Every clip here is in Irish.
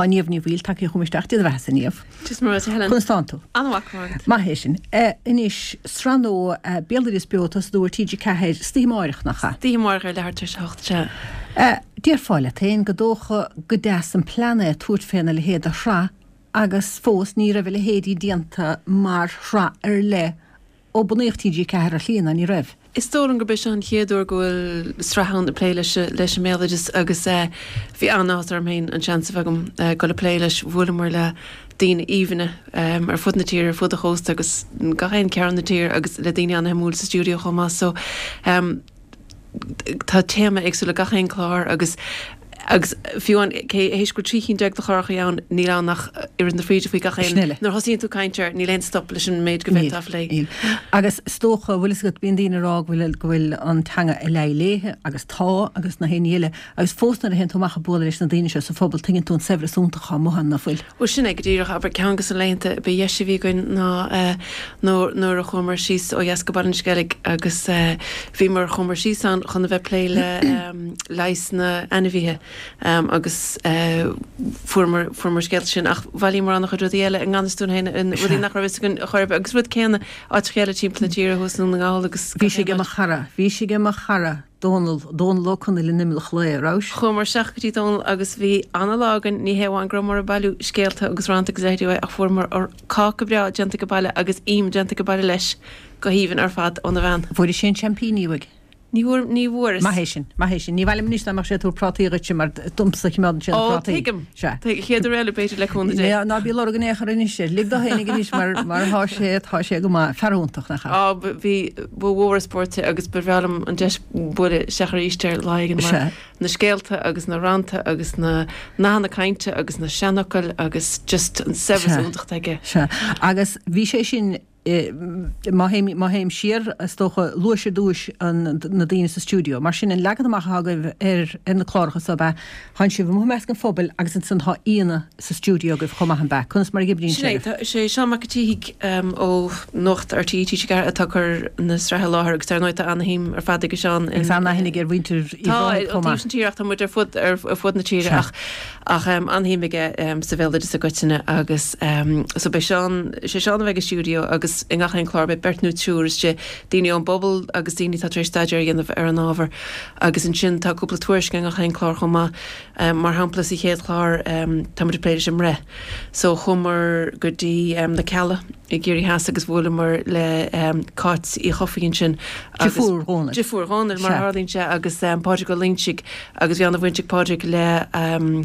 Tá Niamh Ní Bhaoill tagtha chugam isteach, Dia do bheathasa, a Niamh. Dia is Muire dhuit, a Helen. Conas tánn tú? An-mhaith, go raibh maith agat. Maith é sin. Anois, sraith nua Béaloideas Beo ag tosnú ar TG4 istoíche amáireach, nach ea? Istoíche amáireach ar leathuair tar éis a hocht, sea. Déarfá leat féin gur dócha gur deas an plean é tabhairt féna leithéid de shraith agus fós ní raibh a leithéidí déanta mar shraith ar leith ó bunaíodh TG4 ar shlí, ná ní raibh? Is dóigh liom gurb é seo an chéad uair go bhfuil sraith ann ag plé leis leis an mbéaloideas agus bhí an-áthas orm féin an seans a bheith agam dul ag plé leis. Bhuaileamar le daoine aoibhne ar fud na tíre, ar fud an chósta agus gach aon cearn na tíre agus le daoine an-shuimiúil sa stiúideo chomh maith so tá téama éagsúil ag gach aon chlár agus agus fiú amháin cé théis go bhfuil 13 cinn de chláracha ann níl ann ach oiread na fríde faoi gach aon Sin eile. Nuair a thosaíonn tú ag caint air níl aon stop leis an méid go Níl, bhféadfá a phlé. níl. Agus is dócha, bhfuil fhios agat, bíonn daoine ag rá go bhfuil, go bhfuil an teanga ag leí léithe agus tá agus na haon ní eile agus fós nuair a théann tú amach ag bualadh leis na daoine seo sa phobal tuigeann tú an saibhreas iontach atá amuigh ann, ná fuil? Bhuel sin é go díreach, abair, ceann de na laethanta ba dheise a bhí againn ná nuair a chuamar síos ó dheas go Baile an Sceilg agus bhíomar, chuamar síos ann chun a bheith ag plé le leigheas na n-ainmhithe agus fuaireamar, fuaireamar scéalta sin ach bhailíomar an-chuid rudaí eile i ngan fhios dúinn féin, rudaí nach raibh fhios againn chor ar bith agus rud céanna áiteacha eile timpeall na tíre thuas i nDún na nGall agus Bhí sé ag mo chara, bhí sé ag mo chara. Dónal, Dónal Ó Conaill in Imleach Lao, an rabhais? Chuamar isteach go dtí Dónal agus bhí ana-lá againn, ní hé amháin go rabhamar ag bailiú scéalta agus rannta agus leithéidí uaidh ach fuaireamar cáca breá déanta aige baile agus im déanta aige baile leis go haoibhinn ar fad óna bhean. Bhfuairis aon seaimpíní uaidh? Ní bhfuair, ní bhfuaireas. Maith é sin, maith é sin. Ní mhaith liom anois dá mbeadh sé ag tabhairt prátaí dhuitse mar domsa a choimeádann sé na Ó, prátaí. tuigim. Sea. Tuigim. Chéad uair eile b'fhéidir le cúnamh Dé. Ná bí ag lorg in aon chor anois air. Lig dó fhéinig anois mar, mar thá sé, tá sé go maith. Fear iontach, nach ea? Á, bhí, ba mhór an spórt é agus ba bhreá liom an deis bualadh isteach arís air lá éigin mar Sea. na scéalta agus na rannta agus na nathanna cainte agus na seanfhocail agus just an saibhreas Sea. iontach atá aige. Sea. Agus bhí sé sin, má théim, má théim siar, is dócha, luais ar dtúis an, na daoine sa stiúideo. Mar sin, an leagan amach atá agaibh ar, ar na cláracha so, ab ea, Tánn sibh amuigh i measc an phobail agus ansan tá aíonna sa stiúideo agaibh chomh maith, an ea? Conas mar a oibríonn Sin é, sé? tá, is é Seán Mac an tSíthigh ó Nuacht RTÉ TG4 atá ag cur na sraithe i láthair agus dar ndóigh tá ana-shuim ar fad aige Seán in. Agus an-aithne aige ar mhuintir Uíbh Tá, Ráthaigh ó chomh taobh maith. na tíre ach tá muid ar fud, ar fud na tíre Sea. ach, ach an-shuim aige sa bhéaloideas i gcoitinne agus so beidh Seán, is é Seán a bheidh i stiúideo agus i ngach aon chlár beidh beirt nó triúr istigh, daoine ón bpobal agus daoine atá tar éis staidéar a dhéanamh ar an ábhar. Agus ansin tá cúpla tuairisc i ngach aon chlár chomh maith. Mar shampla sa chéad chlár tá muid ag plé leis an mbreith. So chuamar go dtí na Cealla i gCiarraí Theas agus bhuaileamar le Cáit Uí Chofaigh ansin agus. Deirfiúr Dhónaill. Deirfiúr Dhónaill mar a tharlaíonn sé agus Pádraig Ó Loingsigh agus bhí an-bhaint ag Pádraig le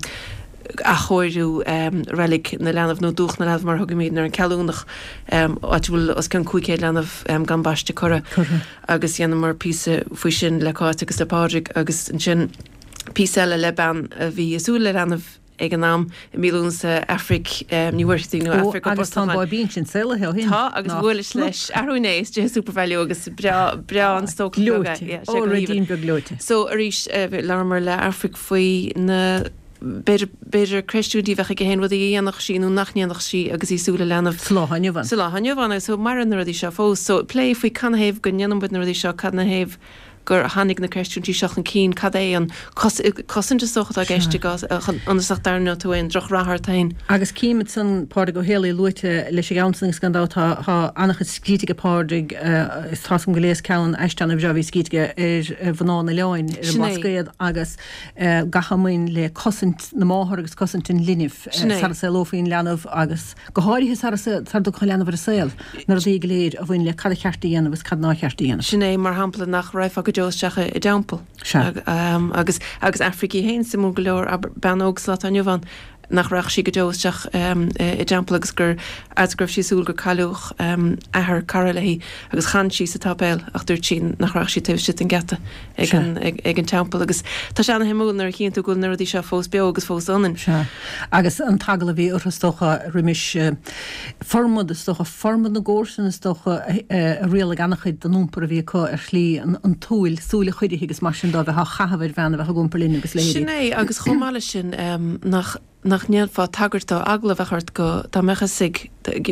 athchóiriú Reilig na Leanbh nó Dúch na Leanbh mar a thugaimidne air, an Ceallúnach, áit a bhfuil os cionn 500 leanbh gan baisteadh curtha. Curtha. agus dhéanamar píosa faoi sin le Cáit agus le Pádraig agus ansin píosa eile le bean a bhí ag súil le leanbh ag an am i mí Lúnasa, Aifric Ní Mhuircheartaigh nó Ó, Aifric Ó agus tá an Brosnacháin. báibín sin saolaithe ó shin. Tá, agus Nach bhuaileas leis arú inné istigh i Supervalu agus breá, breá an stócach beag é. Gleoite. Yeah, sé Ó, go haoibhinn. ruidín beag gleoite. So arís, labhramar le Aifric faoi na. B'fhéidir, b'fhéidir creistiúintí a bheadh aici féin, rudaí a dhéanfadh sí nó nach ndéanfadh sí agus í ag súil le leanbh. Sa lá atá inniu ann. Sa lá atá inniu ann agus so maireann na rudaí seo fós. So plé faoi canathaobh go ndéanann muid na rudaí seo, canathaobh gur tháinig na creistiúintí seo chun cinn, cad é an cosaint is dócha atá i gceist i gcás, ionas nach dtarraingeodh tú aon drochrath ort féin. Agus cím ansan Pádraig Ó Héalaí luaite leis an gceann san agus gan dabht tá, tá an-chuid scríte aige Pádraig, is tá's agam go léas ceann aiste an-bhreá a bhí scríte aige ar mhná an oileáin ar an Sin é. mBlascaod agus gach a mbain le cosaint na máthar agus cosaint an linbh Sin é. sara saolófaí an leanbh agus go háirithe sara dtiocfadh an leanbh ar an saol, na rudaí go léir a bhain le cad a cheart a dhéanamh agus cad nár cheart a dhéanamh. Sin é, mar shampla, nach raghfá go deo isteach i dteampall. Sea. Agus agus Aifric í féin, suimiúil go leor, abair, bean óg sa lá atá inniu ann, nach rachadh sí go deo isteach i dteampall agus gur fhad go raibh sí ag súil gur cailleadh athair cara léi agus chan sí sa tsáipéal ach dúirt sí nach rachadh sí taobh istigh den gheata ag an ag an teampall agus tá sé ana-shuimiúil nuair a chíonn tú go bhfuil na rudaí seo fós beo agus fós ionainn. Sea. Agus an t-eagla a bhí orthu is dócha roimis formad is dócha, formad na gcomharsan is dócha a rialaigh an-chuid den iompar a bhí acu ar shlí an tsúil, súil an choirithe agus mar sin dó a bheith á chaitheamh ar bhean a bheadh ag iompar linbh agus leithéidí. Sin é, agus chomh maith leis sin nach nach ndéanfá tagairt dó, eagla a bheadh ort go, dá mbeadh fhios ag,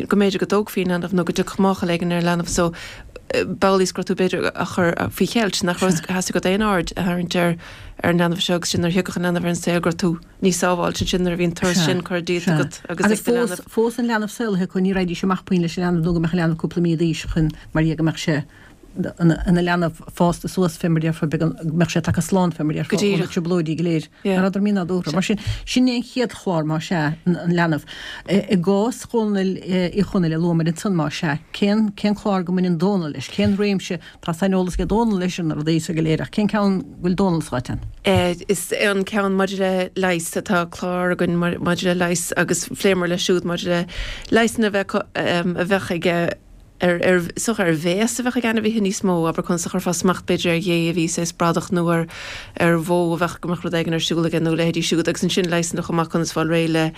go mb'fhéidir go dtógfaí an leanbh nó go dtiocfadh máchail éigin ar an leanbh so. bealaí is go raibh tú b'fhéidir á chur faoi cheilt, nach raibh theastaigh uait aon aird a tharraingt ar ar an leanbh seo agus sin nuair a thiocfadh an leanbh ar an saol go raibh tú níos sábháilte ansin nuair a bhí an turas sin curtha díot agat agus ag do leanbh. Fós an leanbh saolaithe acu ní raghaidís amach puinn leis an leanbh nó go mbeadh an leanbh cúpla mí d'aois chun mar dhea go mbeadh sé ina leanbh fásta suas fé mar déarfá go mbeadh sé tagtha slán fé mar déarfá ó na trioblóidí go léir. Nach rabhadar mínádúrtha. Mar sin, sin é an chéad chlár más ea, an leanbh. I gcás Dhónaill Uí Chonaill a luamar ansan más ea, cén cén clár go mbaineann Dónal leis? Cén réimse, tá saineolas ag Dónal leis ar na rudaí so go léir ach cén ceann go bhfuil Dónal sáite ann? Is é an ceann maidir le leigheas, tá clár againn maidir le leigheas agus phléamar leis siúd maidir le leigheasanna a bheith a bheadh aige ar, ar, is dócha ar bhéas a bheadh ag ainmhithe níos mó, abair conas a chuirfeá smacht b'fhéidir ar ghé a bhí saghas bradach nó ar, ar bhó a bheadh, go mbeadh rud éigin ar siúl aige nó a leithéidí siúd agus ansin leigheasanna chomh maith conas fáil réidh le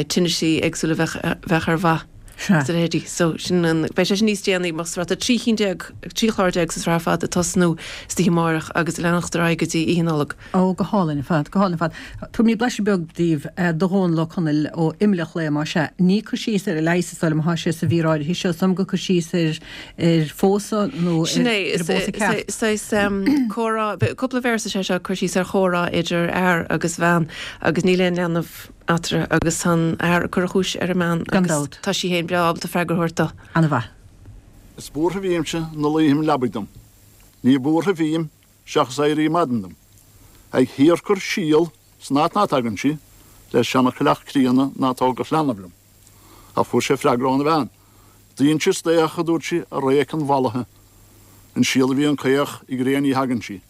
tinnisí éagsúla a bheadh, bheadh ar bha is a leithéidí. So sin an, beidh sé sin níos déanaí mar tá 13 chinn, 13 chlár sa tsraith ar fad ag tosnú istoíche amáireach agus ag leanacht ar aghaidh go dtí Oíche Nollag. Ó, go hálainn ar fad, go hálainn ar fad. Tabharfaidh mé blaiseadh beag daoibh de Dhónal Ó Conaill ó Imeall an Chlaí, más ea. Ní cur síos ar an leigheas is dóigh liom atá sé sa mhír áirithe seo, is dóigh liom gur cur síos ar ar phósadh nó ar Sin é, ar an bpósadh ceart. Saghas comhrá, cúpla véarsa is ea seo, cur síos ar chomhrá idir fhear agus bhean agus níl aon leanbh eatarthu agus tá an fear ag cur a chúis ar an mbean Gan agus dabht. tá sí féin breá ábalta freagra a thabhairt dó. Ana-mhaith. Is buartha bhímse 'na luíghim leabaidh dom. Ní buartha bhím seachas éirí maidin dom. Ag shíorchur síol san áit ná tagann sí, le seana-choileach críonna ná tógfadh leanbh liom. Ach fuair sé freagra óna bhean. D'inseas d'fhéach, a dúirt sí, a réic an mhallaithe. An síol a bhíonn caoch, i gcré ní thagann sí.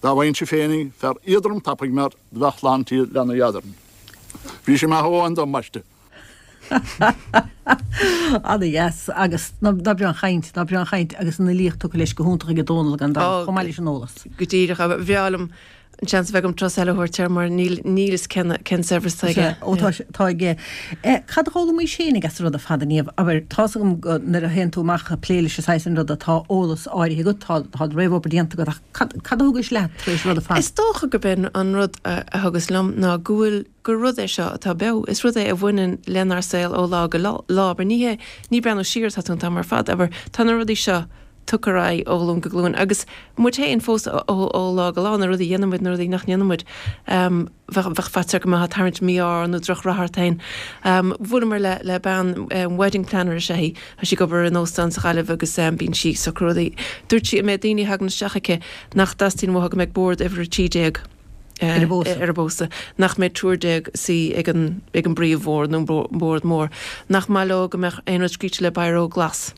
Dá bhfaighinnse féinig fear éadrom tapaidh mar do bheadh lán tí leanaí eadrainn. Bhí sí maith ó dom, ambaiste. Ana-dheas agus ná breá an chaint, ná breá an chaint agus an fhilíocht tugtha leis go hiontach ag Dónal gan dabht, chomh maith leis an eolas. Go díreach, ba bhreá liom an seans a bheith agam turas eile a thabhairt air mar níl níl fhios cén cén saibhreas atá aige. Ó tá tá aige. Cad a d'fhoghlaimís féinig as an rud ar fad a Niamh? Abair, tá's agam go nuair a théann tú amach ag plé leis an saghas sin ruda tá eolas áirithe agat, tá tá réamhobair déanta agat ach cad cad a thugais leat tar éis an rud ar fad? Is dócha gurb é an rud a thugas liom ná go bhfuil gur rud é seo atá beo. Is rud é a bhaineann lenár saol ó lá go lá. Abair, ní hé, ní breathnú siar atá tú an t-am ar fad, abair, tá na rudaí seo tugtha ar aghaidh ó ghlúin go glúin agus muid féin fós ó lá go lá, na rudaí a dhéanann muid, na rudaí nach ndéanann muid. Bheadh, bheadh faitíos ort go mbeifeá ag tarraingt mí-ádh nó drochrath ort féin. Bhuaileamar le, le bean, wedding planner is ea í, tá sí ag obair in óstán sa Ghaillimh agus bíonn sí ag socrú rudaí. Dúirt sí an méid daoine a thagann isteach aici nach dteastaíonn uathu go mbeidh bord uimhir 13. ar an bpósadh, nach mbeidh 13 suí ag an ag an bpríomhbhord nó an bord mór, nach maith leo go mbeadh aon rud scríte le biro glas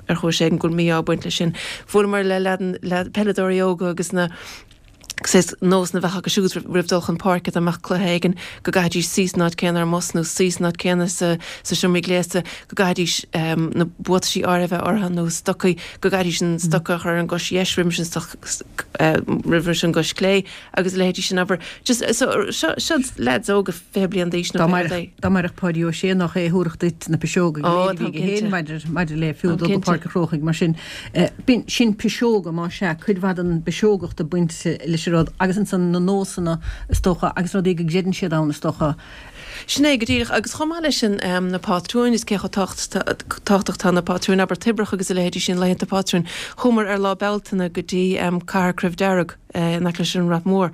ar chúis éigin, go bhfuil mí-ádh ag baint leis sin. Bhuaileamar le leaid peileadóirí óga agus na saghas nósanna a bheadh acu siúd roimh dul chun páirce dá mbeadh cluiche éigin, go gcaithfidís suí san áit céanna ar an mbus nó suí san áit céanna sa sa seomra gléasta, go gcaithfidís na buataisí áirithe a bheith orthu nó stocaí, go gcaithfidís an stoca a chur ar an gcois dheis roimis an stoc roimh an gcois clé agus a leithéidí sin, abair. Just, so, seo, seo leaids óga 20 bliain d'aois nó pé rud é. Dá mairfeadh Páidí Ó Sé nach é a thabharfadh duit na piseoga go léir a bhí aige féin maidir, maidir le fiú dul go Páirc an Chrócaigh mar sin. B'in, sin piseoga, más ea, cuid mhaith den bpiseogacht ag baint leis an rud agus ansan na nósanna is dócha agus rudaí go gcreideann siad ann is dócha. Sin é go díreach. Agus chomh maith leis sin, na pátrúin, is cé chomh tábhachtach atá na pátrúin, abair toibreacha agus a leithéidí sin, laethanta pátrúin. Chuamar ar Lá Bealtaine go dtí Cathair Croibh Dearg in aice leis an Rath Mór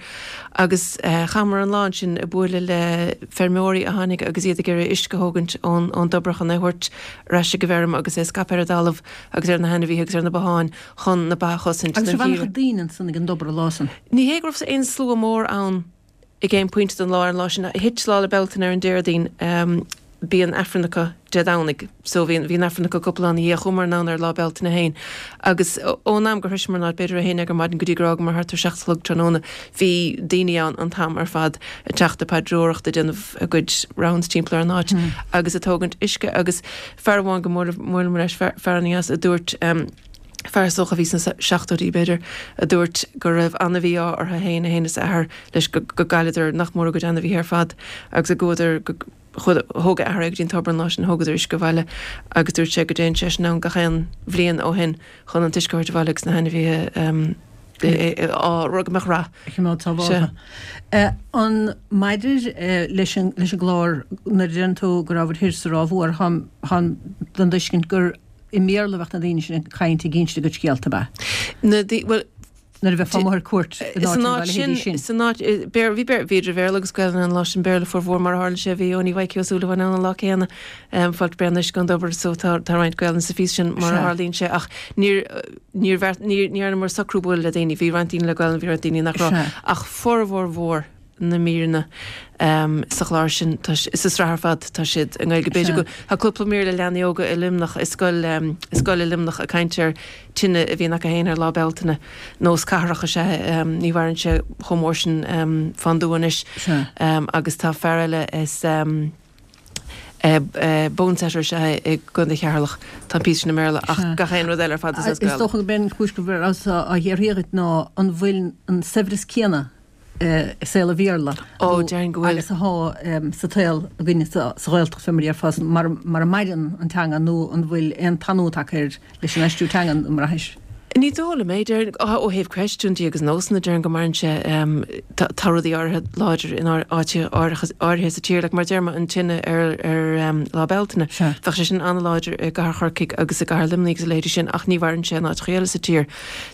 agus chaitheamar an lá ansin ag bualadh le feirmeoirí a tháinig agus iad ag iarraidh uisce a thógaint ón dtobar chun é a thabhairt ar ais ag an bhfeirm agus é a scaipeadh ar an dtalamh agus ar na hainmhithe agus ar na botháin chun na ba a chosaint Agus raibh an-chuid daoine ansan ag an dtobar an lá san? Ní hé go raibh aon slua mór ann. Ag aon phointe den lá ar an lá sin, thit Lá 'le Bealtaine ar an Déardaoin, bíonn Aifreann acu Dé Domhnaigh. So bhí bhí an Aifreann acu cúpla lá ina dhiaidh. Chuamar anonn ar Lá Bealtaine féin agus ón am gur shroiseamar an áit, b'fhéidir a haon déag ar maidin go dtí gur fhágamar thart ar 7 a chlog tráthnóna, bhí daoine ann an t-am ar fad ag teacht ag paidreoireacht, ag déanamh a gcuid rounds timpeall ar an áit agus ag tógaint uisce agus fear amháin go mbuaileamar leis, fear an-dheas, a dúirt, fear is dócha a bhí sna seachtóidí b'fhéidir, a dúirt go raibh an-mhí-ádh orthu féin, é féin is a athair leis, go gcailleadar nach mór a gcuid ainmhithe ar fad agus go gcuadar, go, thóg a athair é go dtí an tobar an lá sin, thógadar uisce abhaile agus dúirt sé go dtéann seisean ann gach aon bhliain ó shin chun an t-uisce a thabhairt abhaile agus na hainmhithe á rud go mbeadh rath. a choimeád sábháltha. An maidir leis an leis an gclár nuair a deireann tú go rabhabhair thoir sa Ráth Mhór, táim den tuiscint gur. i mBéarla a bheadh na daoine sin ag caint ag inse a gcuid scéalta, ab ea? Na daoine, bhuel, Nuair a bheifeá amuigh ar cuairt in San áit nó áit a sin, leithéidí sin. san áit, Béarla, bhí Béarla, bhí idir Bhéarla agus Gaelainn an lá sin, Béarla formhór mar a tharla sé, bhí Eoiní Mhaidhcí Ó Súilleabháin ann an lá céanna, Fáilte Bréan Uisce ón dTobar, so tá, tá roinnt Gaelainne sa phíosa sin mar a Sea. tharlaíonn sé ach níor, níor bheart, níor, ní dhearnamar socrú bualadh le daoine, bhí roinnt daoine le Gaelainn, bhí roinnt daoine nach raibh, Sea. ach formhór mhór na míreanna sa chlár sin, tá, sa sraith ar fad, tá siad i nGaeilge. B'fhéidir go, tá cúpla mír le leanaí óga i Luimneach, i scoil, i scoil i Luimneach ag caint ar tine a bhíonn acu féin ar Lá Bealtaine. Nós cathrach is ea é, ní mhaireann sé chomh mór sin fán dtuath anois. Agus tá fear eile is bonesetter is ea é i gContae Cheatharlach. Tá an píosa sin i mBéarla ach gach aon rud eile ar fad is as Is Gaeilge. dócha gurb é an chúis go rabhas á fhiafraí dhuit ná an bhfuil an saibhreas céanna i saol an Bhéarla Ó, déarfainn go bhfuil. agus atá sa tsaol againne sa Ghaeltacht, fé mar a déarfá, mar a maireann an teanga nó an bhfuil aon tanú tagtha air leis an aistriú teanga, an mbraithis? Ní dóigh liom é. Déarfainn, ó thaobh creidiúintí agus nósanna, déarfainn go maireann sé, tá rudaí áirithe láidir in áiteacha áirithe sa tír, like mar a deir mé, an tine ar Lá Bealtaine. Bheadh sé sin an-láidir i gcathair Chorcaigh agus i gcathair Luimnigh agus a leithéidí sin ach ní mhaireann sé in áiteacha eile sa tír.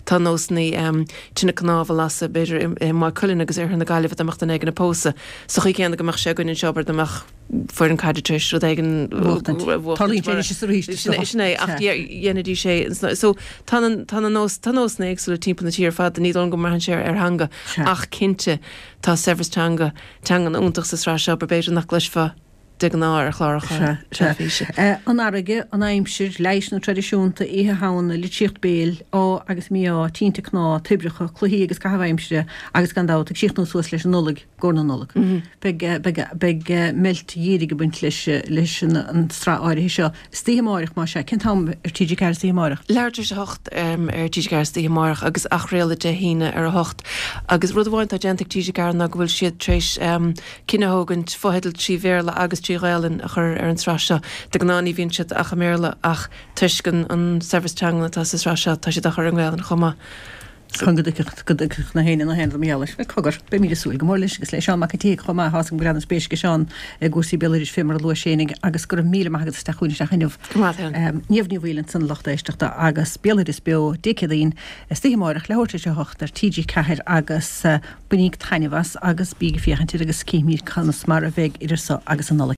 Tá nósanna tine cnámh a lasadh, b'fhéidir, i Maigh Cuilinn agus oirthear na Gaillimhe dá mbeadh duine éigin ag pósadh. Sa chaoi chéanna go mbeadh sé againn anseo, abair, dá mbeadh foireann caide tar éis rud éigin a bhuachtaint. Tarlaíonn sé anois is arís, is dócha. Sin é, ach dhéanfaidís é. So, tá na, tá na nós, tá nósanna éagsúla timpeall na tíre ar fad, ní dóigh liom go mbraitheann sé ar theanga, ach cinnte, tá saibhreas teanga, teangan iontach sa sraith seo, b'fhéidir nach gcloisfeá de ghnáth ar chláracha teilifíse. An fharraige, an aimsir, leigheasanna traidisiúnta, Oíche Shamhna, litríocht béil, ádh agus mí-ádh, tinte cnámh, toibreacha, cluichí agus caitheamh aimsire agus gan dabht, ag síochnú suas leis an Nollaig, i gcomhair na Nollag. Beidh, beidh, beidh meilt dhírigh ag baint leis, leis an tsraith áirithe seo. Istoíche amáireach, más ea. Cén t-am ar TG4 istoíche amáireach? Leathuair tar éis a hocht ar TG4 istoíche amáireach agus athchraoladh Dé hAoine ar a hocht. Agus rud amháin atá déanta ag TG4 ná go bhfuil siad tar éis cinneadh a thógaint fotheidil trí Bhéarla agus trí Ghaelainn a chur ar an tsraith seo. De ghnáth ní bhíonn siad ach i mBéarla ach toisc an saibhreas teangan atá sa sraith seo tá siad á chur i nGaelainn chomh maith. Chun go dtuigfeadh go dtuigfeadh na héinne na haon rud mar gheall air. Bhuel, cogar, beimid ag súil go mór leis agus le Seán Mac an tSíthigh chomh maith. Tá's agam go bhfuil an-spéis ag Seán i gcúrsaí béaloidis fé mar a luaigh sé fhéinig agus go raibh míle maith agat as teacht chugainn isteach inniu. Go raibh maith agat. Niamh Ní Bhaoill ansan a lucht éisteachta agus Béaloideas Beo Dé Céadaoin istoíche amáireach leathuair tar éis a hocht ar TG4 agus Bainíg taitneamh as agus bíg ag féachaint air agus cífimid conas mar a bheidh idir so agus an Nollaig.